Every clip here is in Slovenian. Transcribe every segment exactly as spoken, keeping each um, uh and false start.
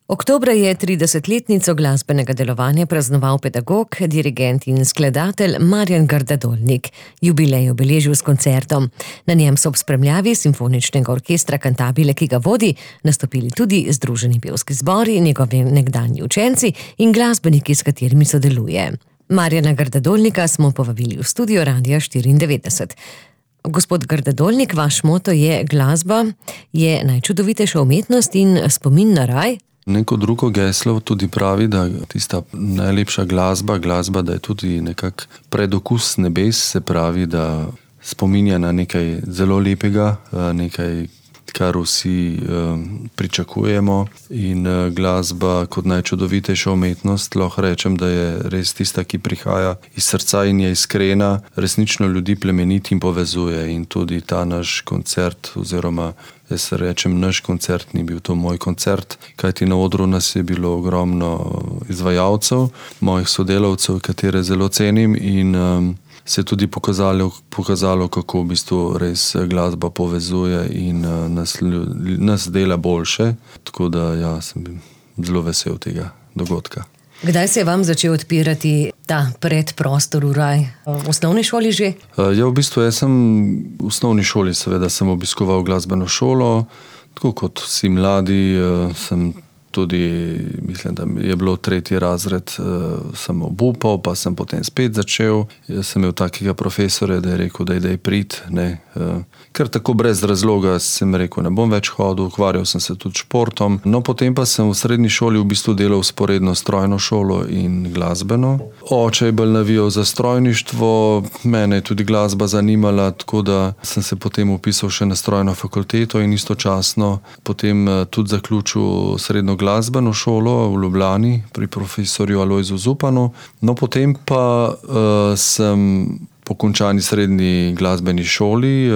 Oktobra je tridesetletnico glasbenega delovanja praznoval pedagog, dirigent in skladatelj Marjan Grdadolnik. Jubilej je obeležil s koncertom. Na njem so ob spremljavi Simfoničnega orkestra Cantabile, ki ga vodi, nastopili tudi Združeni pevski zbori, njegovi nekdanji učenci in glasbeniki, s katerimi sodeluje. Marjana Grdadolnika smo povabili v studio Radia štiriindevetdeset. Gospod Grdadolnik, vaš moto je: glasba je najčudovitejša umetnost in spomin na raj. Neko drugo geslo tudi pravi, da tista najlepša glasba, glasba, da je tudi nekak predokus nebes, se pravi, da spominja na nekaj zelo lepega, nekaj, kar vsi pričakujemo, in glasba kot najčudovitejša umetnost, lahko rečem, da je res tista, ki prihaja iz srca in je iskrena, resnično ljudi plemeniti in povezuje. In tudi ta naš koncert, oziroma jaz rečem naš koncert, ni bil to moj koncert, kajti na odru nas je bilo ogromno izvajalcev, mojih sodelavcev, katere zelo cenim, in um, se je tudi pokazalo, pokazalo, kako v bistvu res glasba povezuje in uh, nas, nas dela boljše. Tako da ja, sem zelo vesel tega dogodka. Kdaj se je vam začel odpirati ta predprostor v raj? V osnovni šoli že? Ja, v bistvu jaz sem v osnovni šoli, seveda sem obiskoval glasbeno šolo, tako kot vsi mladi, sem tudi, mislim, da je bilo tretji razred, sem obupal, pa sem potem spet začel. Jaz sem imel takega profesorja, da je rekel, da idej prid, ne. Ker tako brez razloga sem rekel, ne bom več hodil, ukvarjal sem se tudi športom. No, potem pa sem v srednji šoli v bistvu delal sporedno strojno šolo in glasbeno. Oče je bolj navijal za strojništvo, mene je tudi glasba zanimala, tako da sem se potem upisal še na strojno fakulteto in istočasno potem tudi zaključil srednjo glasbeno šolo v Ljubljani pri profesorju Alojzu Zupanu. No, potem pa uh, sem po končani srednji glasbeni šoli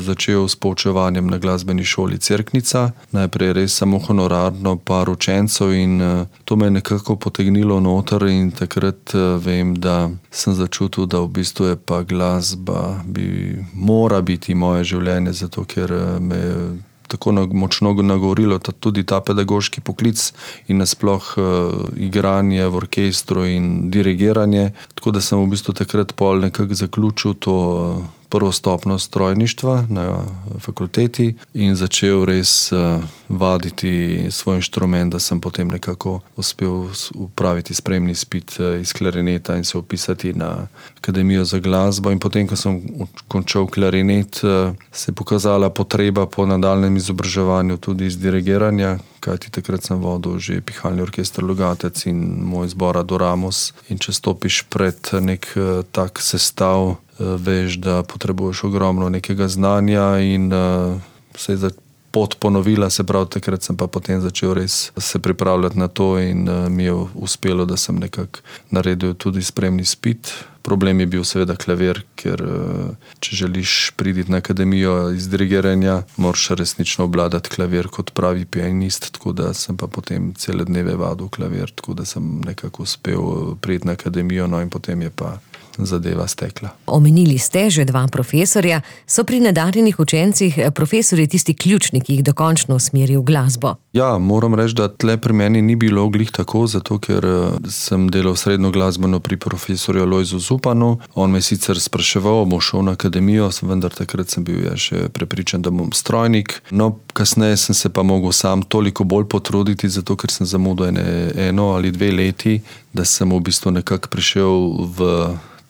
začel s poučevanjem na glasbeni šoli Cerknica. Najprej res samo honorarno, par učencev, in to me je nekako potegnilo noter, in takrat vem, da sem začutil, da v bistvu je pa glasba, bi mora biti moje življenje, zato ker me je tako močno nagovorilo tudi ta pedagoški poklic in nasploh uh, igranje v orkestru in dirigiranje. Tako da sem v bistvu takrat pol nekako zaključil to uh, prvo stopnjo strojništva na fakulteti in začel res uh, vaditi svoj inštrument, da sem potem nekako uspel upraviti sprejemni izpit uh, iz klarineta in se upisati na Akademijo za glasbo. In potem, ko sem končal klarinet, uh, se je pokazala potreba po nadaljnjem izobraževanju tudi iz dirigiranja, kajti takrat sem vodil že pihalni orkester Logatec in moj zbor Adoramus. In če stopiš pred nek uh, tak sestav, veš, da potrebuješ ogromno nekega znanja, in uh, se je pot ponovila, se pravi, takrat sem pa potem začel res se pripravljati na to in uh, mi je uspelo, da sem nekako naredil tudi sprejemni izpit. Problem je bil seveda klavir, ker uh, če želiš priti na akademijo iz dirigiranja, moraš resnično obvladati klavir kot pravi pianist, tako da sem pa potem cele dneve vadil klavir, tako da sem nekako uspel priti na akademijo, no in potem je pa zadeva stekla. Omenili ste že dva profesorja. So pri nadarjenih učencih profesorji tisti ključni, ki jih dokončno usmeri v glasbo? Ja, moram reči, da tle pri meni ni bilo glih tako, zato ker sem delal srednjo glasbeno pri profesorju Alojzu Zupanu. On me sicer spraševal, bom šel na akademijo, vendar takrat sem bil ja še prepričan, da bom strojnik. No, kasneje sem se pa mogel sam toliko bolj potruditi, zato ker sem zamudil ene, eno ali dve leti, da sem v bistvu nekako prišel v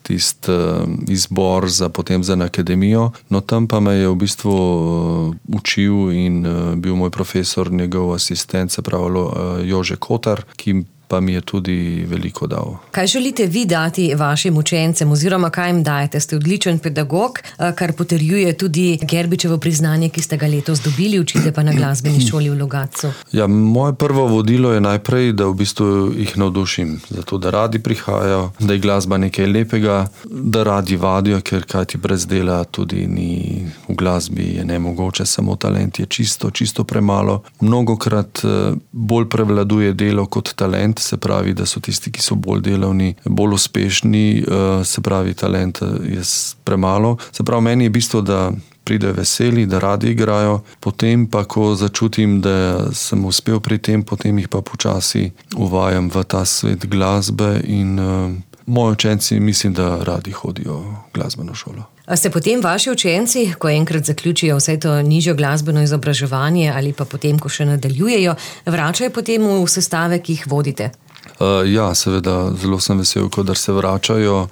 tisti uh, izbor za potem za akademijo. No, tam pa me je v bistvu uh, učil in uh, bil moj profesor, njegov asistent, se pravi uh, Jože Kotar, ki pa mi je tudi veliko dal. Kaj želite vi dati vašim učencem, oziroma kaj jim dajete? Ste odličen pedagog, kar potrjuje tudi Gerbičevo priznanje, ki ste ga letos dobili, učite pa na glasbeni šoli v Logatcu. Ja, moje prvo vodilo je najprej, da v bistvu jih navdušim, zato da radi prihajajo, da je glasba nekaj lepega, da radi vadijo, ker kaj ti brez dela tudi ni v glasbi, je nemogoče, samo talent je čisto, čisto premalo. Mnogokrat bolj prevladuje delo kot talent, se pravi, da so tisti, ki so bolj delavni, bolj uspešni, se pravi, talent je premalo. Se pravi, meni je bistvo, da pridejo veseli, da radi igrajo. Potem pa, ko začutim, da sem uspel pri tem, potem jih pa počasi uvajam v ta svet glasbe in uh, moji učenci mislim, da radi hodijo v glasbeno šolo. A se potem vaši učenci, ko enkrat zaključijo vse to nižjo glasbeno izobraževanje ali pa potem, ko še nadaljujejo, vračajo potem v sestave, ki jih vodite? Uh, ja, seveda, zelo sem vesel, kadar se vračajo.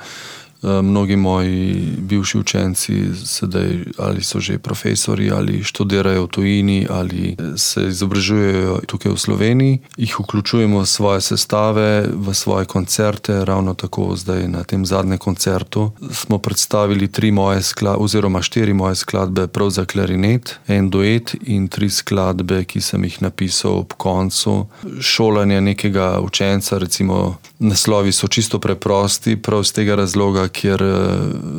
Mnogi moji bivši učenci sedaj ali so že profesori ali študirajo v tujini ali se izobražujejo tukaj v Sloveniji. Jih vključujemo v svoje sestave, v svoje koncerte. Ravno tako zdaj na tem zadnjem koncertu smo predstavili tri moje skladbe oziroma štiri moje skladbe prav za klarinet, en duet in tri skladbe, ki sem jih napisal ob koncu šolanja nekega učenca. Recimo naslovi so čisto preprosti, prav z tega razloga, kjer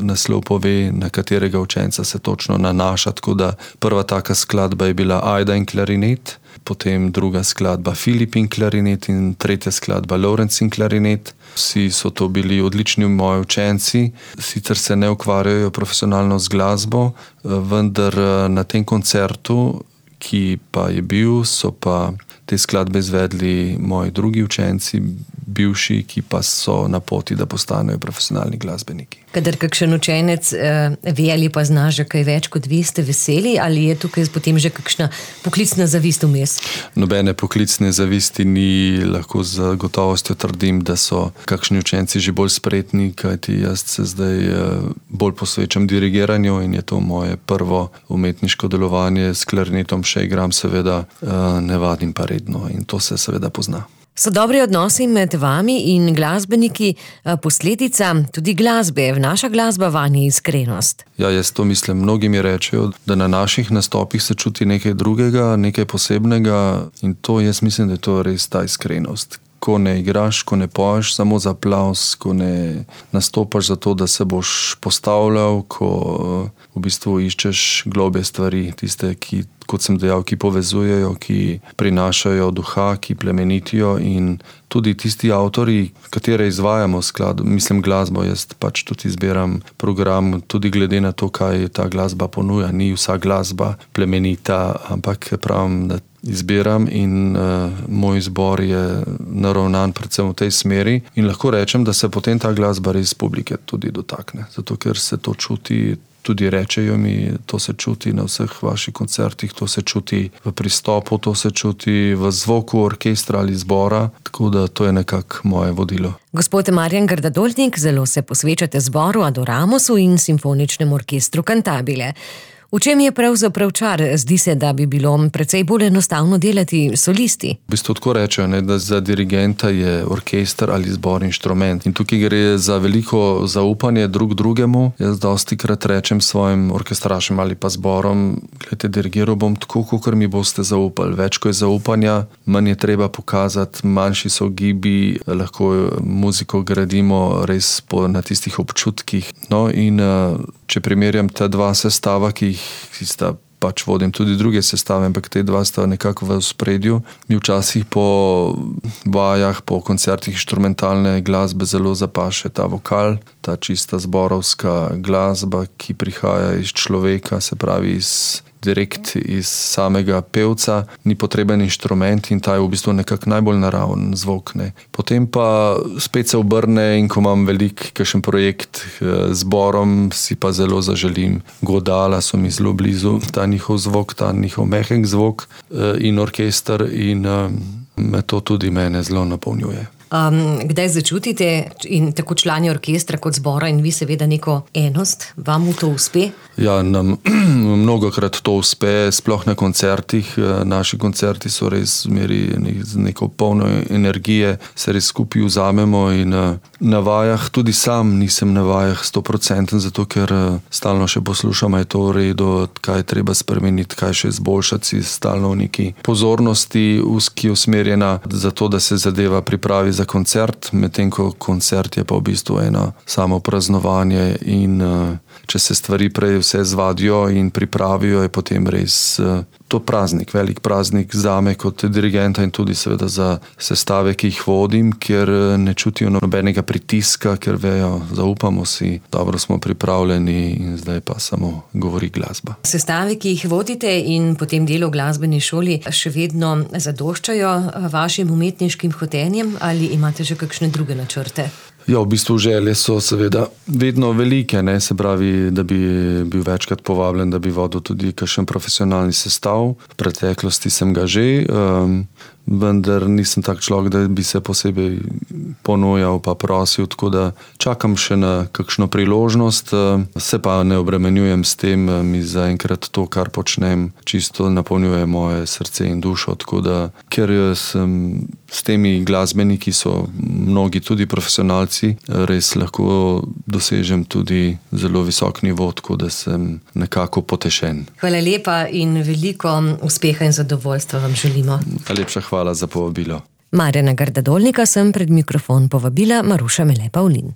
naslov pove, na katerega učenca se točno nanaša. Tako da prva taka skladba je bila Ajda in klarinet, potem druga skladba Filip in klarinet in tretja skladba Lorenz in klarinet. Vsi so to bili odlični moji učenci, sicer se ne ukvarjajo profesionalno z glasbo, vendar na tem koncertu, ki pa je bil, so pa te skladbe izvedli moji drugi učenci, bivši, ki pa so na poti, da postanejo profesionalni glasbeniki. Kadar kakšen učenec eh, ve ali pa zna že kaj več kot vi, ste veseli ali je tukaj potem že kakšna poklicna zavist vmes? Nobene poklicne zavisti ni, lahko z gotovostjo trdim, da so kakšni učenci že bolj spretni, kajti jaz se zdaj eh, bolj posvečam dirigiranju in je to moje prvo umetniško delovanje. S klarinetom še igram, seveda eh, ne vadim pa redno in to se seveda pozna. So dobri odnosi med vami in glasbeniki posledica tudi glasbe? Vnaša glasba vanje iskrenost? Ja, jaz to mislim. Mnogi mi rečejo, da na naših nastopih se čuti nekaj drugega, nekaj posebnega in to jaz mislim, da je to res ta iskrenost. Ko ne igraš, ko ne poješ samo za aplavz, ko ne nastopaš za to, da se boš postavljal, ko v bistvu iščeš globlje stvari, tiste, ki, kot sem dejal, ki povezujejo, ki prinašajo duha, ki plemenitijo in tudi tisti avtori, katere izvajamo sklad, mislim glasbo, jaz pač tudi izbiram program, tudi glede na to, kaj ta glasba ponuja. Ni vsa glasba plemenita, ampak pravim, da izbiram in uh, moj izbor je naravnan predvsem v tej smeri in lahko rečem, da se potem ta glasba res publike tudi dotakne, zato ker se to čuti, tudi rečejo mi, to se čuti na vseh vaših koncertih, to se čuti v pristopu, to se čuti v zvoku orkestra ali zbora, tako da to je nekako moje vodilo. Gospod Marjan Gardadoljnik, zelo se posvečate zboru Adoramusu in simfoničnemu orkestru Cantabile. V čem je pravzaprav čar? Zdi se, da bi bilo precej bolj enostavno delati solisti. V bistvu tako rečejo, ne, da za dirigenta je orkester ali zbor inštrument. In tukaj gre za veliko zaupanje drug drugemu. Jaz dostikrat rečem svojim orkestrašem ali pa zborom, gledajte, dirigiral bom tako, kakor mi boste zaupali. Več ko je zaupanja, manj je treba pokazati, manjši so gibi, lahko muziko gradimo res po, na tistih občutkih. No in če primerjam ta dva sestava, ki jih ki sta, pač vodim tudi druge sestave, ampak te dva sta nekako v ospredju. Mi včasih po vajah, po koncertih inštrumentalne glasbe zelo zapaše ta vokal, ta čista zborovska glasba, ki prihaja iz človeka, se pravi iz direkt iz samega pevca, ni potreben inštrument in ta je v bistvu nekako najbolj naraven zvok. Ne. Potem pa spet se obrne in ko imam velik kakšen projekt z zborom, si pa zelo zaželim godala, so mi zelo blizu, ta njihov zvok, ta njihov mehek zvok in orkester in me to tudi mene zelo napolnjuje. Um, kdaj začutite in tako člani orkestra kot zbora in vi seveda neko enost, vam to uspe? Ja, nam mnogokrat to uspe, sploh na koncertih. Naši koncerti so res v meri z neko polno energije, se res skupaj vzamemo in na vajah, tudi sam nisem na vajah sto procentov, zato ker stalno še poslušam, je to v redu, kaj je treba spremeniti, kaj še izboljšati, stalno v neki pozornosti, ki je usmerjena za to, da se zadeva pripravi za koncert, medtem ko koncert je pa v bistvu eno samo praznovanje in uh, če se stvari prej vse zvadijo in pripravijo, je potem res to praznik, velik praznik zame kot dirigenta in tudi seveda za sestave, ki jih vodim, ker ne čutijo nobenega pritiska, ker vejo, zaupamo si, dobro smo pripravljeni in zdaj pa samo govori glasba. Sestave, ki jih vodite in potem delo v glasbeni šoli še vedno zadoščajo vašim umetniškim hotenjem ali imate že kakšne druge načrte? Ja, v bistvu želje so seveda vedno velike, ne? Se pravi, da bi bil večkrat povabljen, da bi vodil tudi kakšen profesionalni sestav. V preteklosti sem ga že, um, vendar nisem tak človek, da bi se posebej ponujal pa prosil, tako da čakam še na kakšno priložnost. Se pa ne obremenjujem s tem, mi zaenkrat to, kar počnem, čisto napolnjuje moje srce in dušo, tako da, ker sem s temi glasbeniki, so mnogi tudi profesionalci, res lahko dosežem tudi zelo visok nivo, tako da sem nekako potešen. Hvala lepa in veliko uspeha in zadovoljstva vam želimo. Najlepša hvala za povabilo. Marjana Gardadolnika sem pred mikrofon povabila Maruša Mele Pavlin.